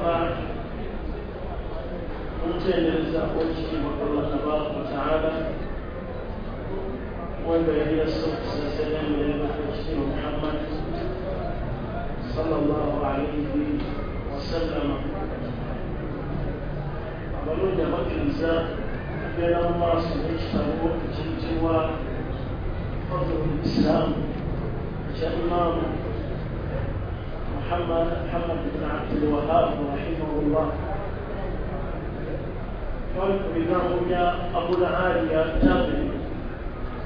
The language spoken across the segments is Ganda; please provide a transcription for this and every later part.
بعد متندرزا وجهي الله تبارك وتعالى وبين الصلاة والسلام على محمد صلى الله عليه وسلم. Abalonda bakkiriza kubeera mu maaso n'ekitabo ekiyitibwa Fadlul Islam ekya Imaamu Muhammad bin Abdul Wahab rahimahullah. Twali ku bigambo bya Abul Aliya Tabi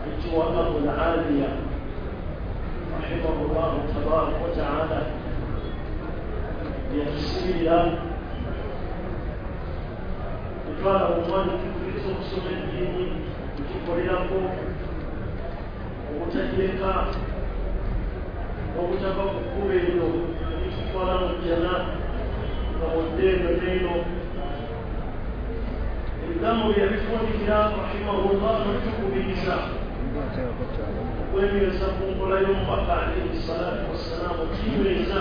ayitibwa Abul Aliya rahimahullahu tabaraka wa taala, yatusibira etwala omwanya tukubiriza okusoma eddiini tukikolerako obutagireka obutava ku kkubo eryo eritutwala mu jjana nga bwodde eno n'eno. Ebigambo bye yabifundikira rahimahullah notukubiriza okwenyweza ku nkola y'omubaka alaihi salatu wassalaamu, okinyweza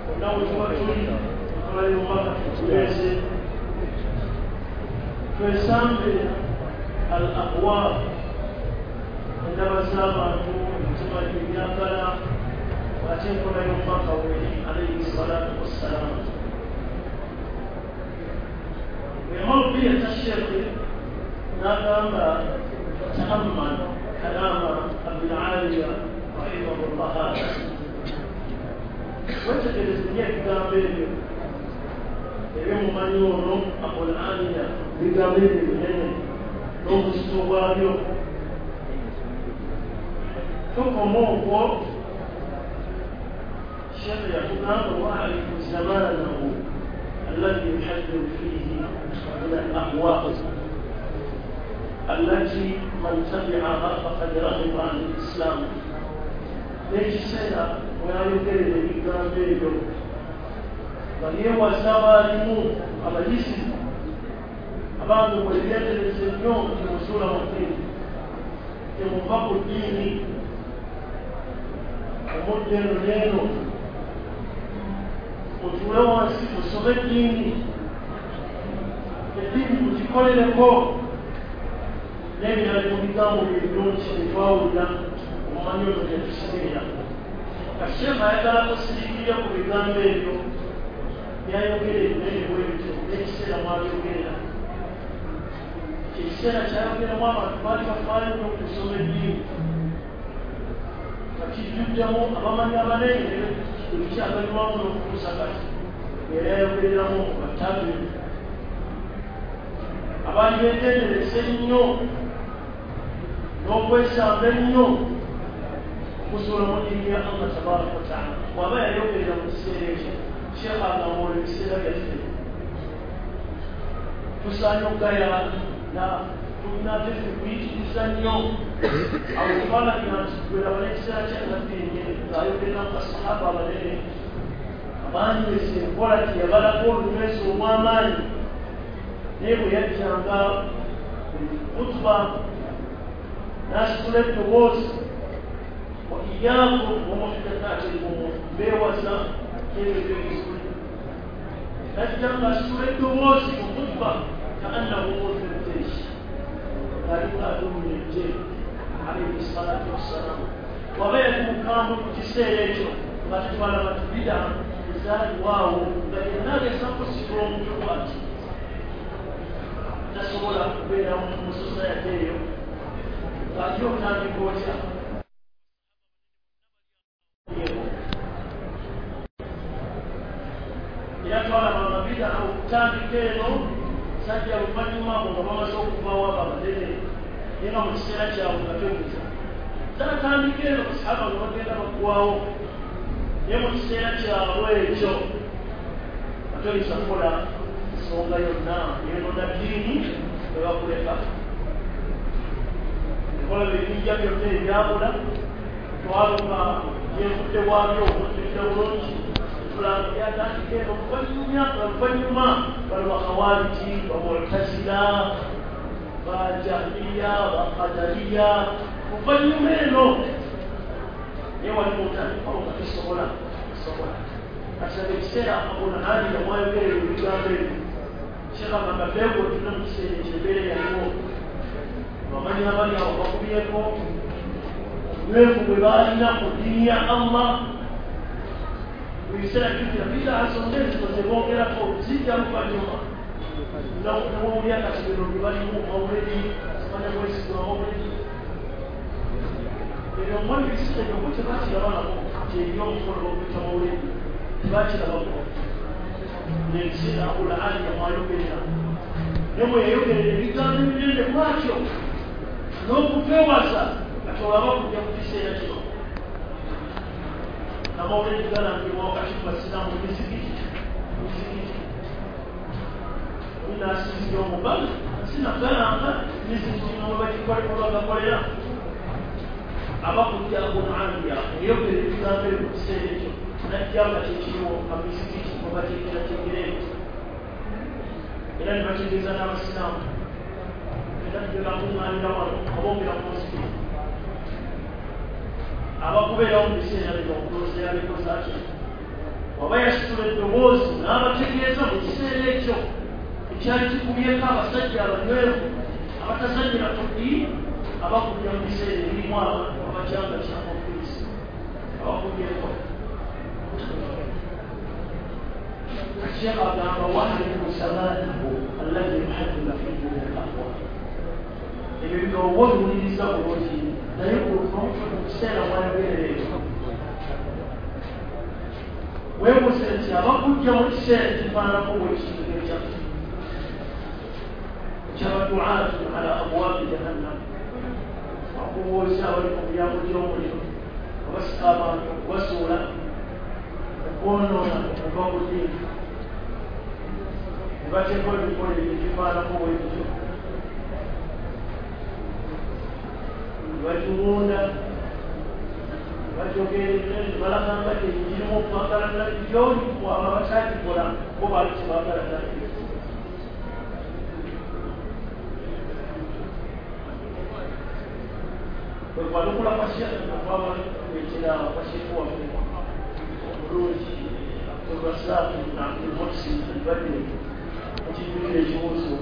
bonna we tuba tuli enkola y'omubaka tutunyweze, twesambe al ahwa, endaba z'abantu, emitima gyebyagala, ate enkola y'omubaka weri alaihi salatu wassalaamu. Bweyamala okubiyeta Sheekhe n'agamba taammal kalaama Abil Aliya rahimahullah, haada wetegereze nnyo ebigambo ebyo ebyomumanyi ono Abul Aliya, ebigambo ebyo binene n'obuzito bwabyo. Tokoma okwo, Sheekhe yatugamba waarifu zamanahu alladhi yuhaddiru fiihi min al-ahwa allati man tabi'aha faqad raghiba an al-islam. N'ekiseera weyayogerera ebigambo ebyo nga yeewaza abaalimu abayizi abantu bwebyetereza ennyo temuzuula mu ddiini, temuva ku ddiini, omudde eno n'eno, mutuule wansi musome eddiini, eddiini mugikolereko n'ebirala mu bigambo byebirungi byetwawulira omumanyi ono byetusimirira. Kasheekhe ayagala kusiriikirira ku bigambo ebyo byayogera ebinene bwe bityo n'ekiseera mwabyogerera. Ekiseera kyayogeramu abantu baali bafaayo nnyo okusoma eddiini, nga kijjuddemu abamanyi abanene ebikyaganywamu n'okutuusa kati era yayogereramu batabi abaali beegendereza ennyo n'okwesamba ennyo okuzuula mu ddiini ya Allah tabaraka wataala. Bw'aba yayogerera mu kiseera ekyo, Sheekhe agamba olwo ebiseera byaffe tusaanye okugayana, tulina ate kuyitiriza nnyo. Awo twalabira nti gweraba n'ekiseera kya Nabbi ng'ayogerera mu basahaba abanene abanyweza enkola gye yabalako olunyweza olw'amaanyi, naye bwe yajjanga kutuba n'asitula eddoboozi wa iyaakum wa muhdathaati l-umuur, beewaza ebyo eby'ebizuli. Najja ng'asitula eddoboozi mu kutuba kaannahu munziru jeish, ng'alinga adumira eggye alaihi salatu wassalaamu. Waba yali mukambwe ku kiseera ekyo nga tetwalaba tubida ezaaliwaawo nga yenna agezaako kusitula omutwe bw'ati tasobola kubeera mu sosayate eyo ng'ate otandika otya. Era twalaba amabida okutandika eno sajja luvannyuma abo nga bamaze okuvaawo abo abanene, naye nga mu kiseera kyabwe nga toyinza zaatandika eno basahaba nga bagenda baggwawo, naye mu kiseera kyabwe ekyo nga toyinza kukola nsonga yonna yonona ddiini ne bakuleka. Ekola ebijja byonna ebyabula twaluka gyenvudde bwabyo okujjukira bulungi tulanga byatandika eno oluvannyuma bano bakhawariji, bamu'tazila, bajahmiya, bakadariya, oluvannyuma eno naye waliwo otandikawo nga tosobola sobola. Kati ekiseera Abul-Aliya mwayogerera ebigambo ebyo, Sheikh agamba beego tulina mu kiseera ekyo embeera yaliwo, abamanyi abali awo bakubyeko obunywevu bwe baalina ku ddiini ya Allah. Mu biseera jjukira bidaa zonna ezo ze boogerako zijja luvannyuma newowulya kati bino bye balimu mawuledi simanya mwesigwa mawuledi ebyo mwali ebiseera ebyo bo tebakirabalako nti eri omukolo baguyita mawuledi, tebakirabako. N'ebiseera Abul-Aliya mwayogerera naye mwe yayogerera ebigambo ebinene bwatyo n'okutwewaza kati olaba kujja ku kiseera kino amawuledi galangibwa wakati mu basiraamu mizikiti mizikiti olinasinzira omubaga sinagalanga mizikiti nomwebagikolerabagakolera abakujja Abul-Aliya eyogera ebigambo ebyo mu kiseera ekyo najja nga kyekiriwo amizikiti mwebateekerateekera ebyo era ne bategeeza n'abasiraamu era tugenda wano aboogera ku muzikiti abakubeerawo mu biseera bino okulooza yabikoze atya waba yasitula eddoboozi n'abategeeza mu kiseera ekyo ekyali kikubyeko abasajja abanywevu abatazannyira ku ddiini abakubya mu biseera ebirimu abantu abakyanga kyanga ofiisi abakubyeko. Sheikh agamba wahrimu samanahu alladhi yuhaddithu fihi min al-aqwal, ebyo bigambo obiwuliriza bulungi naye mu kiseera mwayogerera ekyo weebuuze nti abakujja mu kiseera ekifaananako bwekintu ekyaffe ekyabaduaatu ala abwabi jahannam, akubuuza abali ku miryango gy'omuliro abasika abantu okubasuula okwonoona okuva ku ddiini ne bateeka ebikola ebyo ekifaananako bwekityo bakiwunda bajogerere balagamba tekirimu okwagala nabbi gyoli abo abakyakikola bo baali tebaagala nabbi. Bwe kwanukula kwa Sheikh okwabaleetera kwa Sheikh waffe omulungi Abdulrazak ibn Abdul Muhsin Al-Badri okijjukira ekibuuzo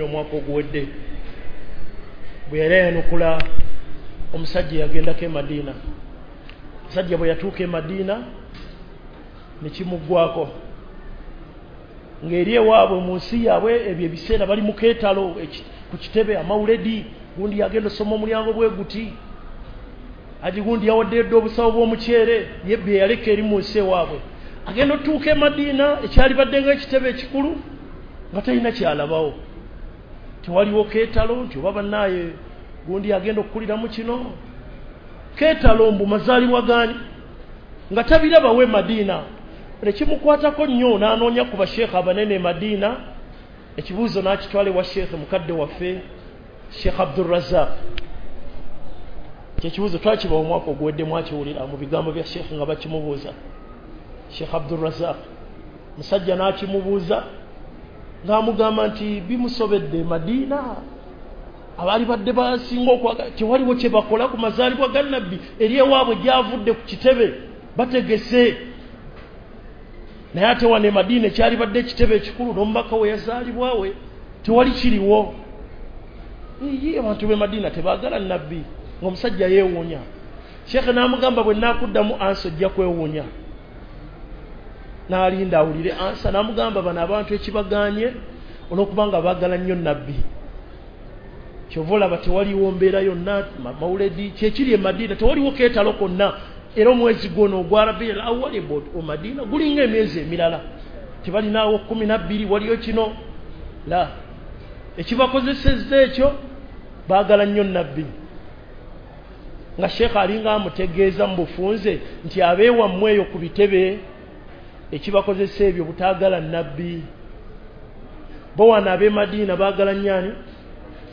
omwaka oguwedde bwe yali ayanukula omusajja yagendako e Madiina. Omusajja bwe yatuuka e Madiina ne kimuggwako ng'eri ewaabwe mu nsi yaabwe ebyo ebiseera bali mu keetalo ku kitebe amawuledi gundi yagenda osoma omulyango bwe guti aji gundi yawaddeyo dda obusawo bw'omuceere ye bye yaleka eri mu nsi ewaabwe. Agenda otuuka e Madiina ekyali badde ng'ekitebe ekikulu nga talina kyalabawo, tewaliwo keetalo nti oba bannaaye gundi agenda okukuliramu kino keetalo mbu mazaalibwa gaani nga tabirabawo e Madiina. Nekimukwatako nnyo n'anoonya ku basheekhe abanene e Madiina, ekibuuzo n'akitwala ewa sheekhe mukadde waffe Sheikh Abdulrazak. Kyekibuuzo twakibawa omwaka oguwedde mwakiwulira mu bigambo bya sheekhe nga bakimubuuza Sheikh Abdulrazak. Musajja n'akimubuuza ng'amugamba nti bimusobedde e Madiina abaali badde basinga okwagala tewaliwo kye bakola ku mazaalibwa ga nabbi eri ewaabwe gyavudde ku kitebe bategese, naye ate wano e Madiina ekyali badde ekitebe ekikulu n'omubaka we yazaalibwawe tewali kiriwo. Iye abantu b'e Madiina tebaagala nabbi, ng'omusajja yeewuunya. Sheikh n'amugamba bwe naakuddamu ansa ojja kwewuunya. N'alinda awulire ansa n'amugamba bano abantu ekibagaanye olw'okuba nga baagala nnyo nabbi, kyova olaba tewaliwo mbeera yonna mawuledi kyekiri e Madiina tewaliwo keetalo konna, era omwezi gwono ogwa Rabiul Awwal e Madiina gulinga emyezi emirala tebalinaawo 12 waliyo kino la ekibakozesezza ekyo baagala nnyo nabbi. Nga Sheikh alinga amutegeeza mu bufunze nti abeewammwe eyo ku bitebe ekibakozesa ebyo butaagala nabbi, bo wano ab'e Madiina baagala nnyo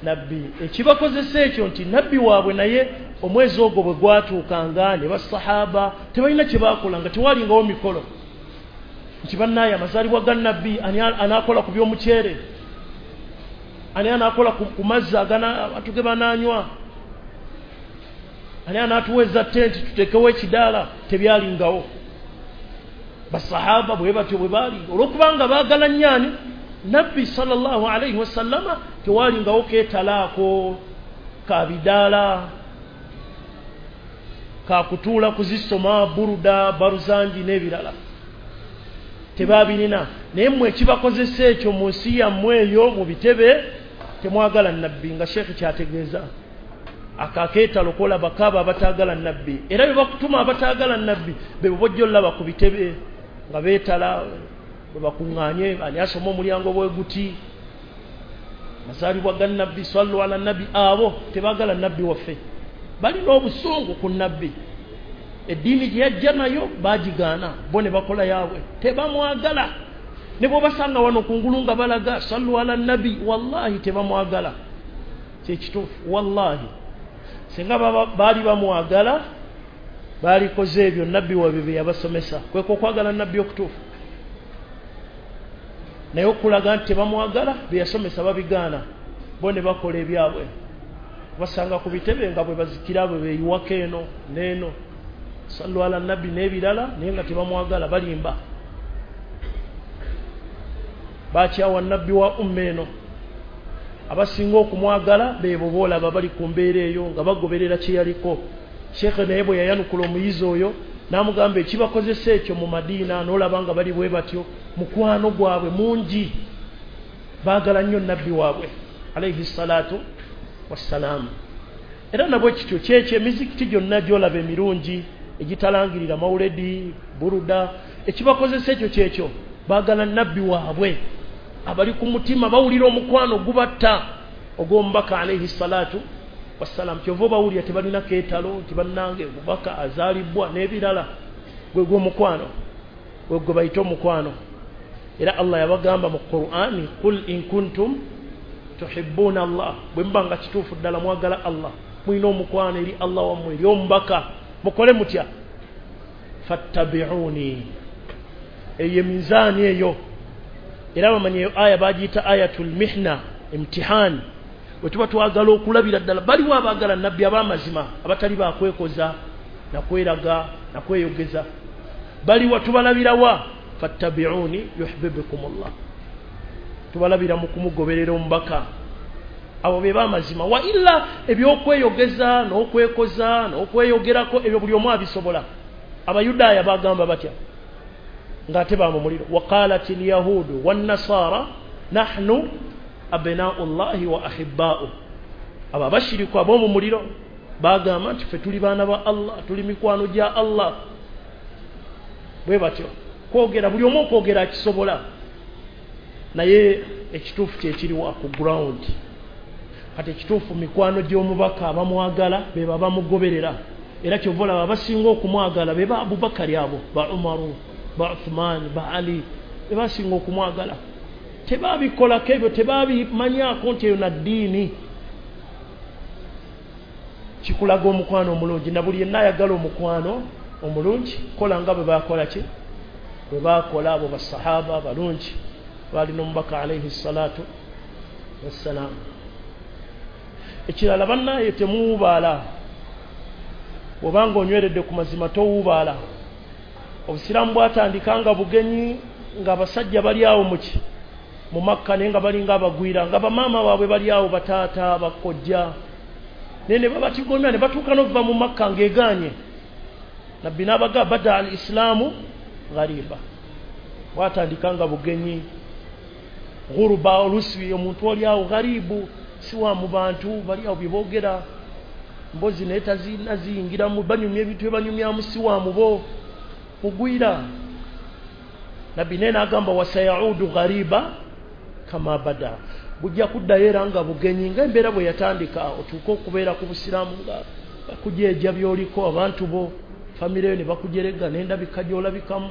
nabbi. Ekibakozesa ekyo nti nabbi waabwe naye omwezi ogwo bwe gwatuukanga ne basahaba tebalina kye baakolanga, tewalingawo mikolo nti bannaaye amazaalibwa ga nabbi ani anaakola ku by'omuceere, ani anaakola ku mazzi abantu ge banaanywa, ani anaatuweza tenti tuteekewo ekidaala, tebyalingawo. Basahaba bwe batyo bwe baali, olwokubanga baagala nnyo nabbi sallallahu alaihi wasallama, tewalingawo keetalaako kabidaala kakutuula kuzisoma buruda baruzanji n'ebirala, tebabirina. Naye mmwe ekibakozesa ekyo mu nsi yammwe eyo mu bitebe, temwagala nabbi, nga sheekhe kyategeeza akakeetalo kolaba kaaba abataagala nabbi. Era bwe bakutuma abataagala nabbi be bobojja olaba ku bitebe nga beetala, bwe bakuŋŋaanye ani asoma omulyango bwe guti, mazaalibwa ga nabbi, sallu ala nabbi. Abo tebaagala nabbi waffe, balina obusungu ku nabbi. Eddiini gye yajja nayo baagigaana, bo ne bakola yaabwe, tebamwagala. Ne bw'obasanga wano kungulu nga balaga sallu ala nabbi, wallahi tebamwagala. Kyekituufu, wallahi singa baali bamwagala baalikoze ebyo nabbi waabwe bye yabasomesa, kweko okwagala nabbi okutuufu. Naye okulaga nti tebamwagala, bye yasomesa babigaana, bo ne bakola ebyabwe. Basanga ku bitebe nga bwe bazikira bwe beeyiwako eno n'eno, sallu ala nabbi n'ebirala, naye nga tebamwagala, balimba. Bakyawa nabbi wa umma eno. Abasinga okumwagala beebo boolaba bali ku mbeera eyo nga bagoberera kye yaliko. Sheekhe naye bwe yayanukula omuyizi oyo n'amugamba ekibakozesa ekyo mu Madiina, n'olaba nga bali bwe batyo, mukwano gwabwe mungi, baagala nnyo nabbi waabwe alaihi salatu wassalaamu. Era nabwe kityo kyekyo emizikiti gyonna gy'olaba emirungi egitalangirira mawuledi buruda, ekibakozesa ekyo kyekyo, baagala nabbi waabwe abali ku mutima, bawulira omukwano gubatta ogw'omubaka alaihi salatu wassalam. Kyova obawulira tebalina keetalo nti bannange omubaka azaalibwa n'ebirala, gwe gw'omukwano, gwe gwe bayita omukwano. Era Allah yabagamba mu Qur'ani, qul in kuntum tuhibbuna Allah, bwe muba nga kituufu ddala mwagala Allah, mulina omukwano eri Allah wammwe, eri omubaka, mukole mutya? Fattabi'uni. Eyo minzaani eyo. Era bamanyi eyo aya bagiyita ayatul mihna, imtihani. Bwe tuba twagala okulabira ddala baliwo abaagala nabbi ab'amazima, abatali bakwekoza nakweraga nakweyogeza, baliwa tubalabirawa? Fattabi'uni yuhibbukumullah, tubalabira mu kumugoberera omubaka. Abo be b'amazima. Wa illa ebyokweyogeza n'okwekoza n'okweyogerako ebyo buli omu abisobola. Abayudaaya bagamba batya ng'ate ba mu muliro? Waqalat alyahudu wannasara nahnu abna'u llahi wa ahibba'u. Abo abashiriku ab'omu muliro bagamba nti ffe tuli baana ba Allah, tuli mikwano gya Allah. Bwe batyo kwogera, buli omu okwogera akisobola, naye ekituufu kyekiriwa ku ground. Kati ekituufu mikwano gy'omubaka abamwagala be babamugoberera. Era kyova olaba abasinga okumwagala be ba Abubakari abo, ba Umaru, ba Uthman, ba Ali, be basinga okumwagala. Tebabikolako ebyo, tebabimanyaako nti eyo na ddiini. Kikulaga omukwano omulungi, na buli yenna ayagala omukwano omulungi kola nga bwe bakola ki, bwe bakola abo basahaba abalungi balina omubaka alaihi salatu wassalaamu. Ekirala bannaye temuwubaala, bw'obanga onyweredde ku mazima towubaala. Obusiraamu bwatandika nga bugenyi, ng'abasajja bali awo muki mu Makka, naye nga balinga abagwira, nga bamaama baabwe bali awo, bataata, bakojja, naye ne babatigomya ne batuuka n'okuva mu Makka ng'egaanye. Nabbi n'abaga bada al islaamu ghariba, bwatandika nga bugenyi, ghuruba, olusi omuntu oli awo gharibu, si wa mu bantu, bali awo bye boogera mbozi naye taziyingiramu, banyumya ebintu bye banyumyamu, si wa mu bo, mugwira. Nabbi naye n'agamba wasayaudu ghariba kama bada, bujja kuddayo era nga bugenyi nga embeera bwe yatandika. Otuuke okubeera ku busiraamu nga bakujeeja by'oliko, abantu bo famire yo ne bakujerega n'endabika gy'olabikamu,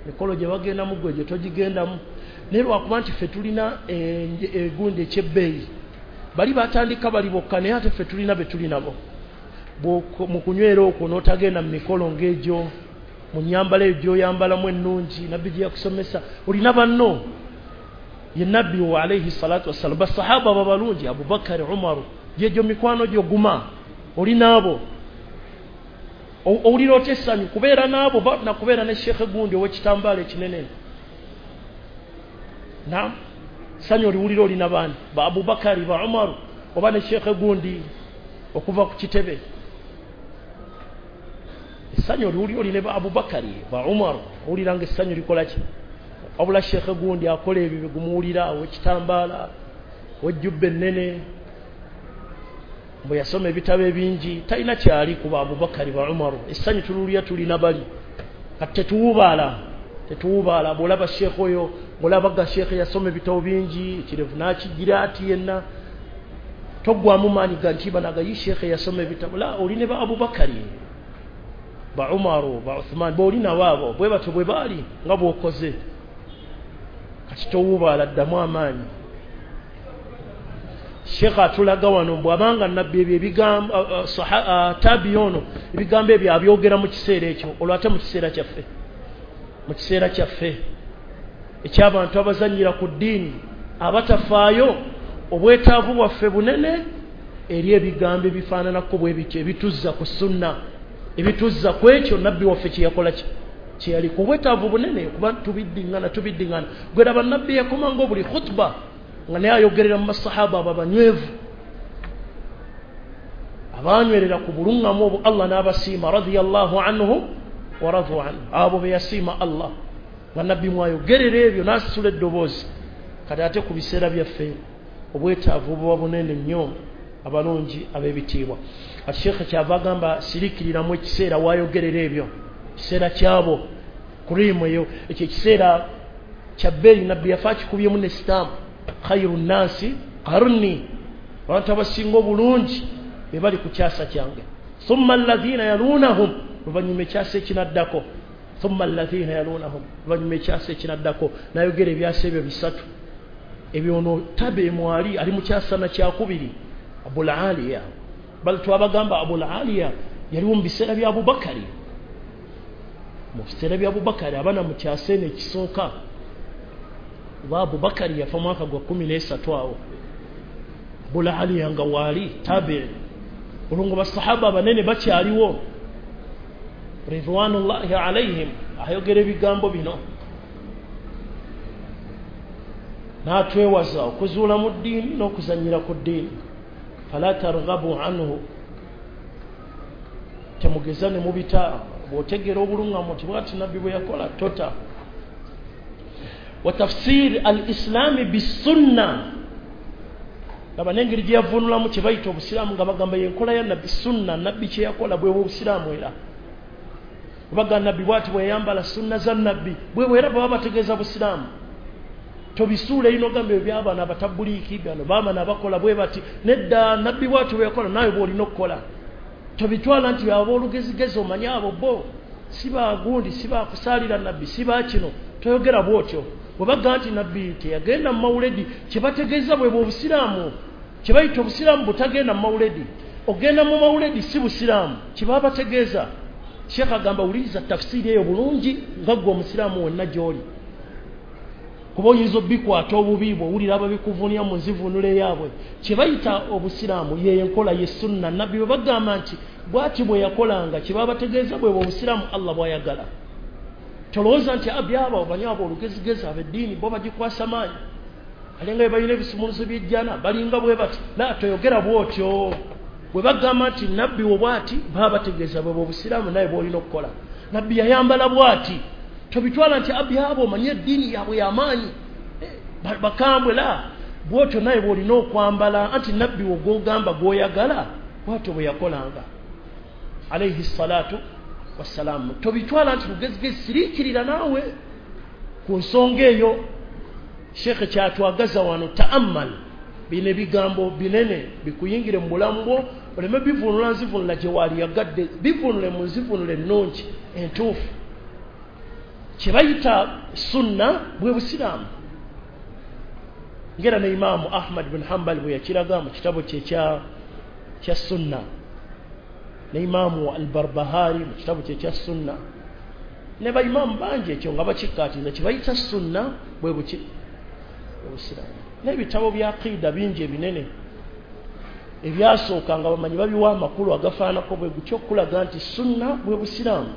mikolo gye bagendamu gwe gye togigendamu. Naye lwakuba nti ffe tulina egundi ekyebbeeyi, bali batandika bali bokka, naye ate ffe tulina be tuli nabo. Mu kunywera okwo n'otagenda mu mikolo ng'egyo, mu nnyambala eyo gy'oyambalamu ennungi nabbi gye yakusomesa, olina banno. Ye nabbi wa alaihi salatu wassalam, basahaba babalungi, Abubakari, Umaru, gyegyo mikwano gyo, guma oli naabo. Owulira otya essanyu kubeera n'abo nakubeera ne sheekhe gundi ow'ekitambaala ekinene? Naam, ssanyu oliwulira olina baani? Ba Abubakari, ba Umaru, oba ne sheekhe gundi okuva ku kitebe? Essanyu oliwulira oli ne ba Abubakari, ba Umaru, owulira nga essanyu likola ki? Wabula sheekhe gundi akola ebyo bigumuwulira ow'ekitambaala, ow'ejjubba ennene, bwe yasoma ebitabo ebingi, talina kyali ku ba Abubakari, ba Umaru. Essanyu tuluwulira tulina bali. Kati tetuwubaala, tetuwubaala. Bw'olaba sheekhe oyo, ng'olaba ga sheekhe yasoma ebitabo bingi, ekirevu n'akigira ati yenna, toggwamu maanyi ga nti banaga yi sheekhe yasoma ebitabo. La, oli ne ba Abubakari, ba Umaru, ba Uthman, b'oli nabo abo bwe batyo bwe baali nga bw'okoze. Kati towubaala, ddamu amaanyi. Sheekh atulaga wano bw'abanga nabbi ebyo ebigambo tabi ono ebigambo ebyo abyogera mu kiseera ekyo, olwo ate mu kiseera kyaffe, mu kiseera kyaffe eky'abantu abazannyira ku ddiini, abatafaayo, obwetaavu bwaffe bunene eri ebigambo ebifaananako bwe bityo, ebituzza ku sunna, ebituzza ku ekyo nabbi waffe kye yakola kye yaliko. Obwetaavu bunene kuba tubiddiŋŋana, tubiddiŋŋana. Gwe laba nabbi yakomanga buli khutuba nga naye ayogerera mu masahaba abo abanywevu abanywerera ku buluŋŋamu obwo Allah n'abasiima, radiyallahu anhu wa radu anhu, abo be yasiima Allah, nga nabbi mwayogerera ebyo n'asitula eddoboozi. Kati ate ku biseera byaffe obwetaavu buba bunene nnyo, abalungi ab'ebitiibwa. Kati sheekhe kyava agamba siriikiriramu ekiseera waayogerera ebyo, kiseera kyabo kuriimu eyo, ekyo ekiseera kya bbeeyi nabbi yafa akikubyemu ne sitampu, khairu nnasi qarni, abantu abasinga obulungi be bali ku kyasa kyange. Thumma alladhina yalunahum, luvannyuma ekyasa ekinaddako. Thumma alladhina yalunahum, luvannyuma ekyasa ekinaddako. N'ayogera ebyasa ebyo bisatu ebyo. Ono tabe mwali ali mu kyasa na kyakubiri, Abul Aliya. Bali twabagamba Abul Aliya yaliwo mu biseera bya Abubakari, mu biseera bya Abubakari abaana mu kyasa eno ekisooka. Oba Abubakari yafa mwaka gwa 13 awo, Abul Aliya nga waali tabi. Olwo nga basahaba abanene bakyaliwo ridwanullahi alaihim, ayogera ebigambo bino n'atwewaza okuzuula mu ddiini n'okuzannyira ku ddiini. Fala targhabu anhu, temugeza ne mubita. Bw'otegeera obuluŋŋamu nti bw'ati nabbi bwe yakola, tota. Wa tafsir al-islami bisunna, laba n'engeri gye yavvuunulamu kye bayita obusiraamu, nga bagamba y'enkola ya nabbi, sunna nabbi kye yakola bwe obusiraamu. Era baga nabbi bw'ati bwe yayambala, sunna za nabbi bwe bwe, era baba bategeeza busiraamu. Tobisuula ino ogamba ebyo by'abaana abatabuliiki, bano baamana abakola bwe bati. Nedda, nabbi bw'ati bwe yakola, naawe bw'olina okukola. Tobitwala nti aboolugezigezi omanye abo bo si bagundi, si bakusaalira nabbi, si bakino. Toyogera bw'otyo. Bwe baga nti nabbi teyagenda mu mawuledi, kye bategeeza bwe obusiraamu. Kye bayita obusiraamu butagenda mu mawuledi. Ogenda mu mawuledi si busiraamu, kye baba bategeeza. Sheekh agamba wuliriza tafsiiri eyo bulungi nga ggwe omusiraamu wenna gy'oli, kuba oyinza obikwata obubi bw'owulira ababikuvuunira mu nzivuunula eyaabwe. Kye bayita obusiraamu ye enkola ye sunna. Nabbi bwe bagamba nti bw'ati bwe yakolanga, kye baba bategeeza bwe obusiraamu Allah bw'ayagala. Tolowooza nti abyaba omanyi abo olugezigezi ab'eddiini bo bagikwasa maanyi, alinga bwe balina ebisumuluzo by'ejjana, balinga bwe bati. La, toyogera bw'otyo. Bwe bagamba nti nabbi wo bw'ati, baba bategeeza bwe obusiraamu naye bw'olina okukola. Nabbi yayambala bw'ati, tobitwala nti abyaba omanyi eddiini yaabwe y'amaanyi, bakambwe. La, bw'otyo naye bw'olina okwambala, anti nabbi wo gw'ogamba gw'oyagala bw'atyo bwe yakolanga alayhi salatu wassalaamu. Tobitwala nti lugezigezi, siriikirira naawe ku nsonga eyo. Sheekhe kyatwagaza wano, ta'ammal, bino ebigambo binene bikuyingire mu bulamu bwo, oleme bivuunula nzivuunula gye waaliyagadde, bivuunule mu nzivuunula ennungi entuufu. Kye bayita sunna bwe busiraamu, ngera ne Imaamu Ahmad bin Hanbal bwe yakiraga mu kitabo kye kya sunna, ne Imaamu Al-Barbahari mu kitabo kye kya sunna, ne baimaamu bangi ekyo nga bakikkaatiriza. Kye bayita sunna bwe buki? Obusiraamu. N'ebitabo bya aqida bingi ebinene. Ebyasooka nga bamanyi babiwa amakulu agafaanako bwe gutyo okulaga nti sunna bwe busiraamu.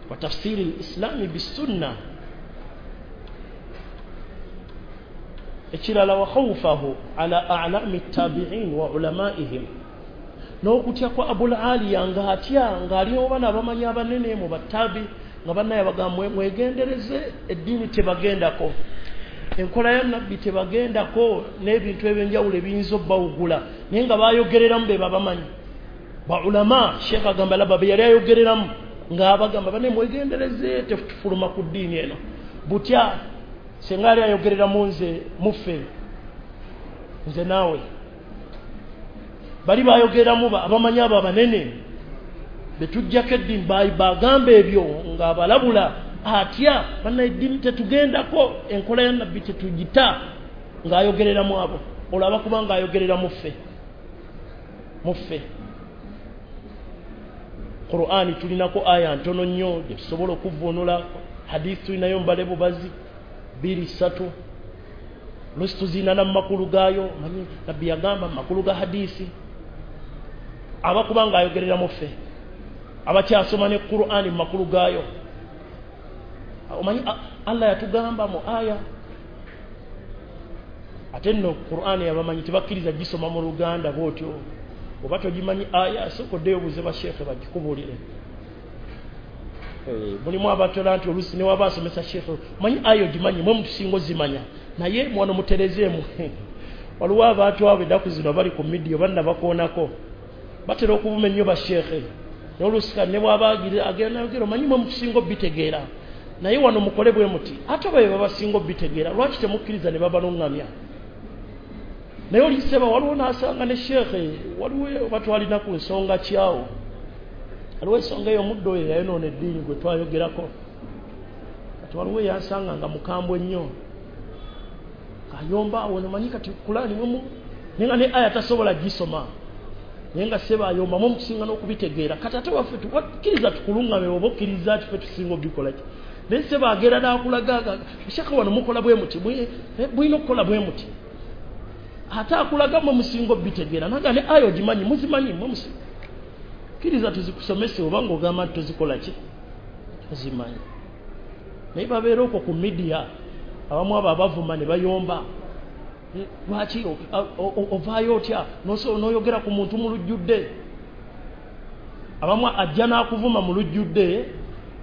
Wa tafsiri lislami bisunna. Ekirala wa khawfahu ala a'lami tabi'in wa ulamaihim, n'okutya kwa Abul Aliya ng'atya ng'aliwo bano abamanyi abanene mu batabi nga bannaye bagamba mwegendereze eddiini tebagendako, enkola ya nabbi tebagendako n'ebintu ebyenjawulo ebiyinza obbawugula, naye nga bayogereramu be babamanyi ba ulama. Sheekh agamba laba be yali ayogereramu ng'abagamba bane mwegendereze tetufuluma ku ddiini eno butya. Senga ali ayogereramu nze muffe nze naawe, bali bayogereramu abamanyi abo abanene betujjako eddiini bagamba ebyo ng'abalabula atya banna eddiini tetugendako, enkola ya nabbi tetugita, ng'ayogereramu abo. Olaba kuba ng'ayogerera muffe muffe. Qur'ani tulinako aya ntono nnyo gye tusobola okuvvuunula, hadith tulinayo mbale bubazi 2 3 lusi tuziina mu makulu gaayo. Manyi nabbi yagamba mu makulu ga hadisi abakuba ng'ayogerera muffe abakyasoma ne Qur'ani mu makulu gaayo. Omanyi Allah yatugamba mu aya, ate nno Qur'ani abamanyi tebakkiriza gisoma mu Luganda bw'otyo, oba togimanyi aya sooka oddeyo obuuze basheekhe bagikubuulire. Mulimu abatola nti oluusi ne waba asomesa sheekhe manyi aya ogimanyi mwe mutusinga ozimanya, naye mwano muterezeemu. Waliwo abantu abo ennaku zino bali ku midiyo banna bakoonako batera okuvuma ennyo basheekhe, n'oluusi kati ne bw'aba agenda ayogera omanyi mwe mutusinga obitegeera, naye wano mukole bwe muti, ate oba be babasinga obitegeera lwaki temukkiriza ne babaluŋŋamya? Naye oliseba waliwo n'asanga ne sheekhe waliwo oba twalina ku nsonga kyawo, waliwo ensonga eyo omuddo oyo yayonoona eddiini gwe twayogerako, kati waliwo eyansanga nga mukambwe nnyo ayomba awo nomanyi kati Kulaani mwemu naye nga ne aya tasobola gisoma, naye nga seba ayomba mwe mutusinga n'okubitegeera. Kati ate waffe tukkiriza tukuluŋŋame oba okkiriza ti ffe tusinga obikola ki, naye seba agera n'akulaga sheekhe wano mukola bwe muti, mulina okukola bwe muti, ate akulaga mwe musinga obitegeera, naga ne aya ogimanyi muzimanyi mwe musinga kkiriza tuzikusomese oba ng'ogamba nti tozikola ki tozimanyi. Naye babeera okwo ku midiya abamu abo abavuma ne bayomba, lwaki ovaayo otya n'oyogera ku muntu mu lujjudde? Abamu ajja n'akuvuma mu lujjudde,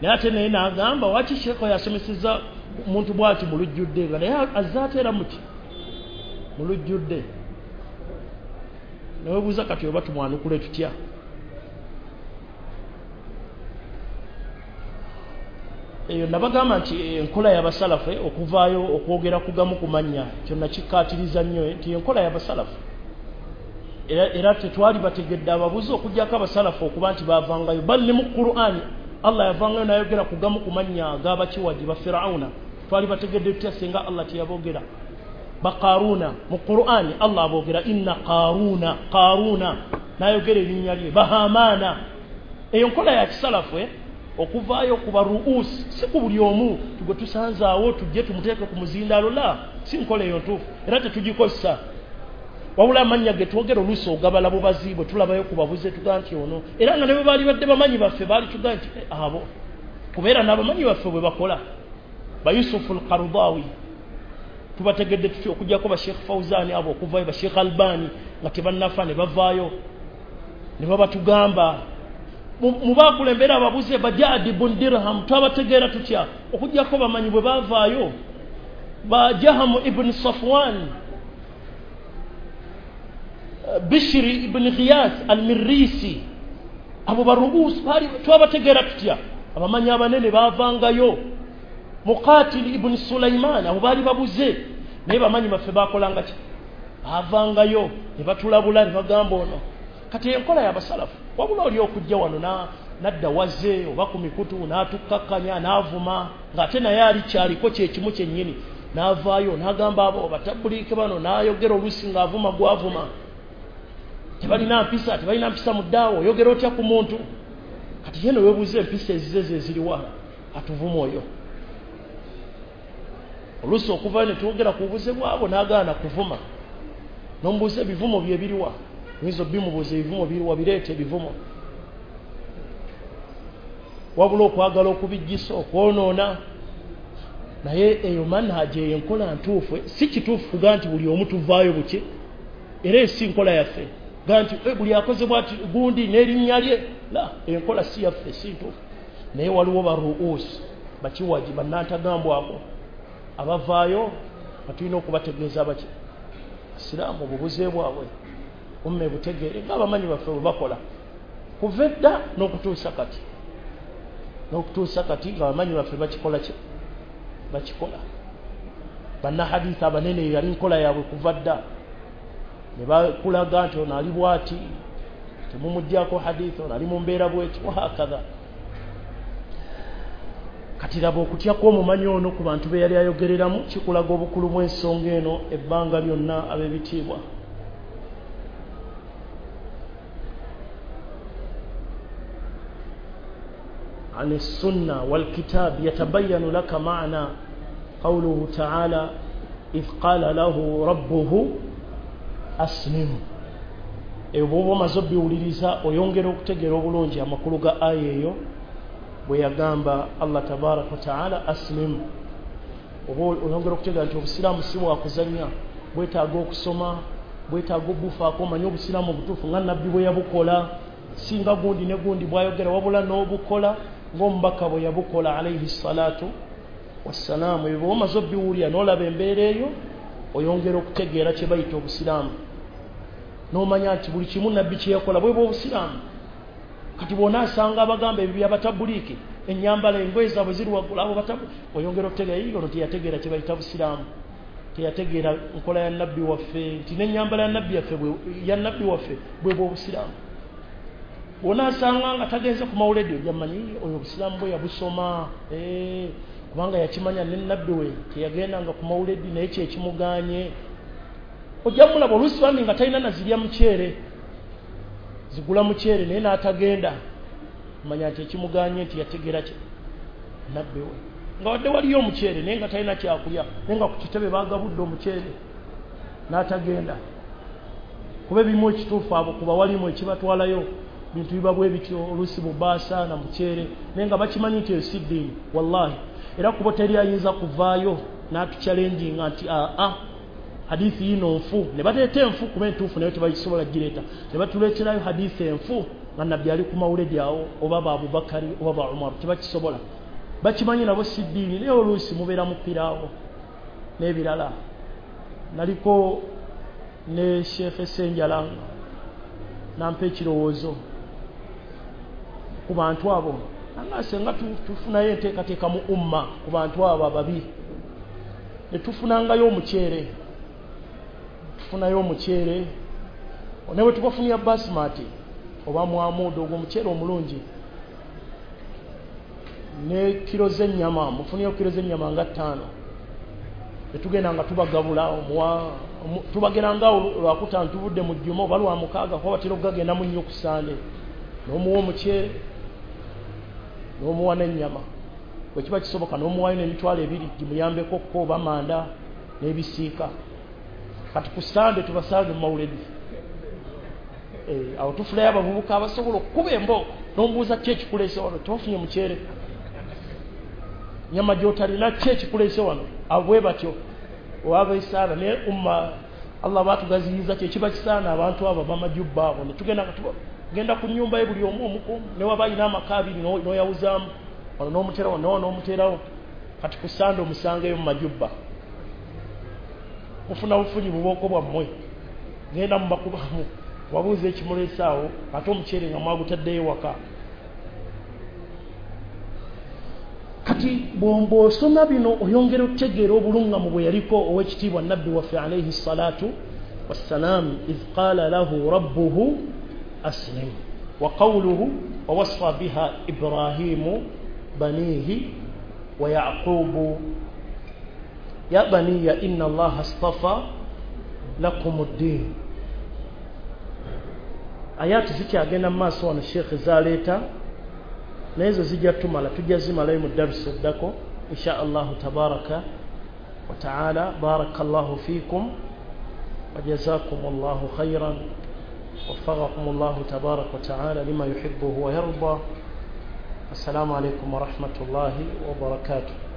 naye ate naye n'agamba waki sheekh yasomeseza muntu bw'ati mu lujjudde, nga naye azze ate era muki mu lujjudde. Neweebuuza kati oba tumwanukule tutya? Eyo nabagamba nti enkola y'abasalafu okuvaayo okwogera kugamu ku mannya kyonna kikkaatiriza nnyo nti enkola y'abasalafu era tetwali bategedde ababuzi okuggyako abasalafu okuba nti baavangayo, bali ne mu Qur'ani Allah yavangayo n'ayogera kugamu ku mannya ag'abakiwagi ba Fir'auna. Twali bategedde tutya singa Allah teyaboogera? Ba Qaruna mu Qur'ani Allah aboogera inna Qaruna Qaruna n'ayogera erinnya lye, ba Hamaana. Eyo nkola ya kisalafu okuvaayo kuba ruusi, si ku buli omu tugwe tusanzaawo tujje tumuteeke ku muzindaalo, la si nkola eyo ntuufu era tetugikozesa. Wabula amannya ge twogera oluusi ogabala bubazi bwe tulabayo ku babuze tugaa nti ono, era nga ne bwe baali badde bamanyi baffe baali tugaa nti abo kubeera n'abamanyi baffe bwe bakola. Ba Yusufu al-Qaradawi tubategedde tutya okuggyako ba Sheikh Fawzani abo okuvaayo, ba Sheikh Albani nga tebannafa ne bavaayo ne babatugamba mubakulembera ababuze ba Ja'd ibn Dirham twabategeera tutya okuggyako bamanyi bwe bavaayo, ba Jahamu ibn Safwan, Bishri ibn Ghiyath al-Mirrisi, abo baruusi bali twabategeera tutya? Abamanyi abanene bavangayo, Muqatil ibn Sulaiman abo baali babuze, naye bamanyi baffe bakolanga ki? Bavangayo ne batulabula ne bagamba ono. Kati enkola y'abasalafu wabula oli okujja wano nadda waze oba ku mikutu n'atukkakkanya n'avuma ng'ate naye ali kyaliko kyekimu kyennyini, n'avaayo n'agamba abo batabuliike bano, n'ayogera oluusi ng'avuma gw'avuma, tebalina mpisa, tebalina mpisa mu ddaawo, oyogera otya ku muntu? Kati ye neweebuuza empisa ezize ze ziriwa atuvuma oyo. Oluusi okuvayo ne twogera ku bubuze bwabo n'agaana kuvuma. N'omubuuza ebivumo bye biriwa, oyinza obimubuuza ebivumo biriwa, bireeta ebivumo. Wabula okwagala okubijjisa, okwonoona. Naye eyo manhaji, eyo enkola ntuufu. Si kituufu kuga nti buli omu tuvaayo buki, era esi nkola yaffe ga nti buli akoze bwati gundi n'erinnya lye la, enkola si yaffe, si ntuufu. Naye waliwo baruusi bakiwaji bannantagambwako abavaayo nga tulina okubategeeza baki asiraamu obubuze bwabwe umme butegeere ng'abamanyi baffe bwe bakola kuva edda n'okutuusa kati, n'okutuusa kati ng'abamanyi baffe bakikola ki bakikola. Bannahadithi abanene yali nkola yaabwe kuva dda, ne bakulaga nti ono ali bwati, temumuggyako hadithi, ono ali mu mbeera bweti, wahakadha. Kati laba okutya kw'omumanyi ono ku bantu be yali ayogereramu kikulaga obukulu bw'ensonga eno ebbanga lyonna ab'ebitiibwa. عن السنة والكتاب يتبين لك معنى قوله تعالى إذ قال له ربه أسلم. Ebwo omaze obiwuliriza oyongera okutegeera obulungi amakulu ga aya eyo bwe yagamba Allah tabaraka wa taala aslim. Oba oyongera okutegeera nti obusiraamu si bwakuzannya, bwetaaga okusoma, bwetaaga obufaako, omanye obusiraamu obutuufu nga nabbi bwe yabukola, singa gundi ne gundi bwayogera, wabula n'obukola ng'omubaka bwe yabukola alaihi salatu wassalaamu. Ebyo bw'omaze obiwulira n'olaba embeera eyo oyongera okutegeera kye bayita obusiraamu, n'omanya nti buli kimu nabbi kye yakola bwe bw'obusiraamu. Kati bw'onaasanga abagamba ebyo byabatabuliiki, ennyambala engoye zaabwe ziri waggulu, abo oyongera okutegeera ono teyategeera kye bayita busiraamu, teyategeera nkola ya nabbi waffe, nti n'ennyambala ya nabbi waffe bwe bw'obusiraamu. Bw'onaasanga nga tagenze ku mawuledi ojja mmanyi oyo obusiraamu bwe yabusoma, kubanga yakimanya ne nabbi we teyagendanga ku mawuledi naye kye kimugaanye. Ojja mulaba oluusi bambi nga talina nazirya muceere, zigula muceere naye n'atagenda, manya nti ekimuganye nti yategeera ki nabbi we, nga wadde waliyo omuceere naye nga talina kyakulya, naye nga ku kitebe baagabudde omuceere n'atagenda. Kuba ebimu ekituufu abo kuba walimu ekibatwalayo bintu biba bwe bityo, oluusi bubaasa na muceere, naye nga bakimanyi nti eyo si ddiini. Wallahi era kuba teri ayinza kuvaayo n'atukyalenjinga nti aa hadithi yino nfu, ne baleeta enfu kuba entuufu nayo tebagisobola gireeta, ne batuleeterayo hadithi enfu nga nabbi ali ku mawuledi awo, oba ba Abubakari oba ba Umaru, tebakisobola. Bakimanyi nabo si ddiini, naye oluusi mubeera mupiraawo n'ebirala. Naliko ne Sheikh Senjala nampa ekirowoozo ku bantu abo, nga senga tufunayo enteekateeka mu umma ku bantu abo ababi, ne tufunangayo omuceere, tufunayo omuceere ne bwe tubafunira basmati oba mwamuudo, ogwo omuceere omulungi, ne kiro z'ennyama, mufunire kiro z'ennyama nga 5, ne tugenda nga tubagabula, tubageranga lwakutaano tuvudde mu jjuma oba lwa mukaaga, kuba batera okugagenda mu nnyo ku Sande, n'omuwa omuceere n'omuwa n'ennyama, bwe kiba kisoboka n'omuwaayo n'emitwalo 2 gimuyambeko ko oba manda n'ebisiika. Kati ku Sande tubasange mu mawuledi, awo tufunayo abavubuka abasobola okukuba embooko, n'omubuuza ki ekikuleese wano, tewafunye muceere, nyama gy'otalina, ki ekikuleese wano? Abo bwe batyo owabeesaana. Naye umma Allah baatugaziyiza kyekiba kisaana abantu abo abamajubba abo, ne tugenda nga tugenda ku nnyumba ye buli omu omukumu, ne waba alina amaka 2 n'oyawuzaamu wano n'omuteerawo n'omuteerawo. Kati ku Sande omusangeyo mu majubba, mufuna bufunyi bubooko bwammwe, ngenda mubakubamu wabuuza ekimuleese awo, ate omuceere nga mwagutaddeyo waka. Kati bw'osoma bino oyongera okutegeera obulungamu bwe yaliko ow'ekitiibwa nabbi waffe alaihi salatu wassalam, idh qala lahu rabbuhu aslim, wa qawluhu wa wassa biha Ibrahimu banihi wa Yaqubu ya baniya inna Allaha astafa lakum ad-din. Ayati zikyagenda mu maaso wano Sheikh zaleeta, naye ezo zijja tumala, tujja zimalayo mu darusa eddako insha Allahu tabaraka wa taala. Barakallahu fikum وجزاكم الله خيرا، وفقكم الله تبارك وتعالى لما يحبه ويرضى. السلام عليكم ورحمة الله وبركاته.